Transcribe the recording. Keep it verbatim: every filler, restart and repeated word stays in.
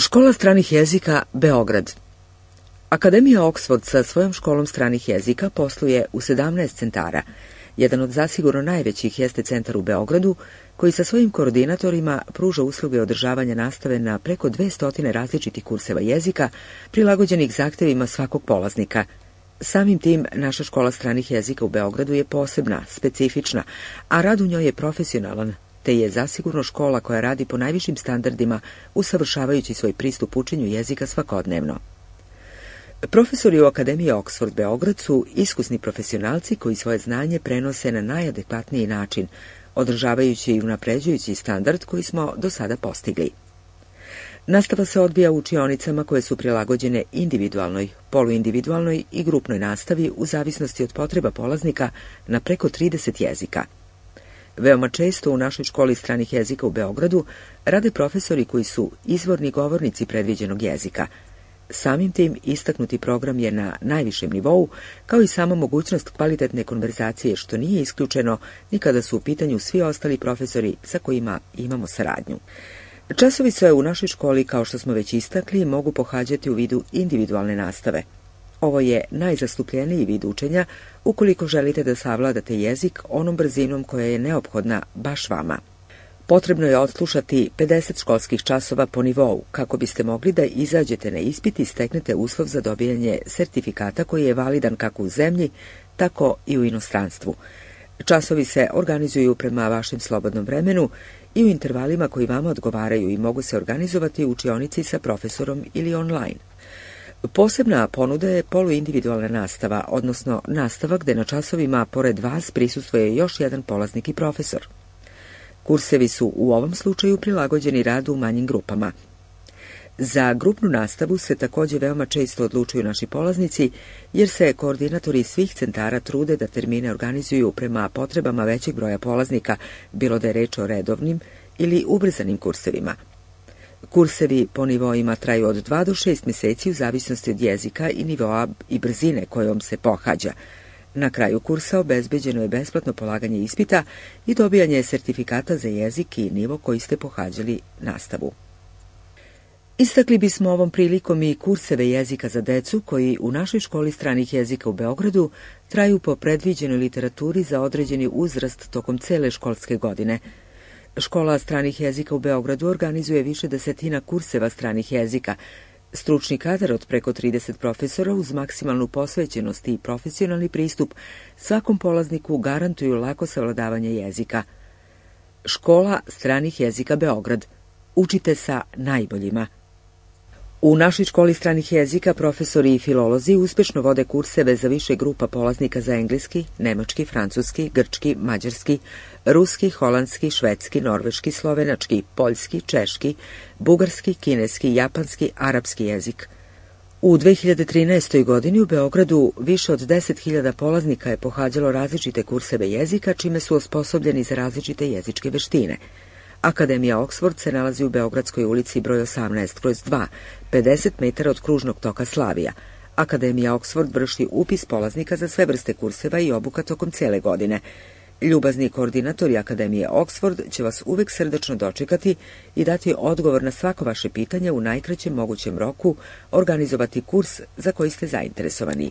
Škola stranih jezika Beograd. Akademija Oxford sa svojom školom stranih jezika posluje u sedamnaest centara. Jedan od zasigurno najvećih jeste centar u Beogradu, koji sa svojim koordinatorima pruža usluge održavanja nastave na preko dvesta različitih kurseva jezika, prilagođenih zahtevima svakog polaznika. Samim tim, naša škola stranih jezika u Beogradu je posebna, specifična, a rad u njoj je profesionalan, te je zasigurno škola koja radi po najvišim standardima, usavršavajući svoj pristup učenju jezika svakodnevno. Profesori u Akademiji Oxford Beograd su iskusni profesionalci koji svoje znanje prenose na najadekvatniji način, održavajući i unapređujući standard koji smo do sada postigli. Nastava se odvija u učionicama koje su prilagođene individualnoj, poluindividualnoj i grupnoj nastavi u zavisnosti od potreba polaznika na preko trideset jezika. Veoma često u našoj školi stranih jezika u Beogradu rade profesori koji su izvorni govornici predviđenog jezika. Samim tim istaknuti program je na najvišem nivou, kao i sama mogućnost kvalitetne konverzacije, što nije isključeno ni kada su u pitanju svi ostali profesori sa kojima imamo saradnju. Časovi se u našoj školi, kao što smo već istakli, mogu pohađati u vidu individualne nastave. Ovo je najzastupljeniji vid učenja ukoliko želite da savladate jezik onom brzinom koja je neophodna baš vama. Potrebno je odslušati pedeset školskih časova po nivou, kako biste mogli da izađete na ispit i steknete uslov za dobijanje sertifikata koji je validan kako u zemlji, tako i u inostranstvu. Časovi se organizuju prema vašem slobodnom vremenu i u intervalima koji vama odgovaraju i mogu se organizovati u učionici sa profesorom ili online. Posebna ponuda je poluindividualna nastava, odnosno nastava gde na časovima pored vas prisustvuje još jedan polaznik i profesor. Kursevi su u ovom slučaju prilagođeni radu u manjim grupama. Za grupnu nastavu se također veoma često odlučuju naši polaznici, jer se koordinatori svih centara trude da termine organizuju prema potrebama većeg broja polaznika, bilo da je reč o redovnim ili ubrzanim kursevima. Kursevi po nivoima traju od dva do šest meseci u zavisnosti od jezika i nivoa i brzine kojom se pohađa. Na kraju kursa obezbeđeno je besplatno polaganje ispita i dobijanje sertifikata za jezik i nivo koji ste pohađali nastavu. Istakli bismo ovom prilikom i kurseve jezika za decu koji u našoj školi stranih jezika u Beogradu traju po predviđenoj literaturi za određeni uzrast tokom cele školske godine. Škola stranih jezika u Beogradu organizuje više desetina kurseva stranih jezika. Stručni kadar od preko trideset profesora uz maksimalnu posvećenost i profesionalni pristup svakom polazniku garantuju lako savladavanje jezika. Škola stranih jezika Beograd. Učite sa najboljima. U našoj školi stranih jezika profesori i filolozi uspešno vode kurseve za više grupa polaznika za engleski, nemački, francuski, grčki, mađarski, ruski, holandski, švedski, norveški, slovenački, poljski, češki, bugarski, kineski, japanski, arapski jezik. U dve hiljade trinaestoj. godini u Beogradu više od deset hiljada polaznika je pohađalo različite kurseve jezika, čime su osposobljeni za različite jezičke veštine. Akademija Oxford se nalazi u Beogradskoj ulici broj osamnaest kroz dva, pedeset metara od kružnog toka Slavija. Akademija Oxford vrši upis polaznika za sve vrste kurseva i obuka tokom cele godine. Ljubazni koordinatori Akademije Oxford će vas uvek srdačno dočekati i dati odgovor na svako vaše pitanje u najkraćem mogućem roku, organizovati kurs za koji ste zainteresovani.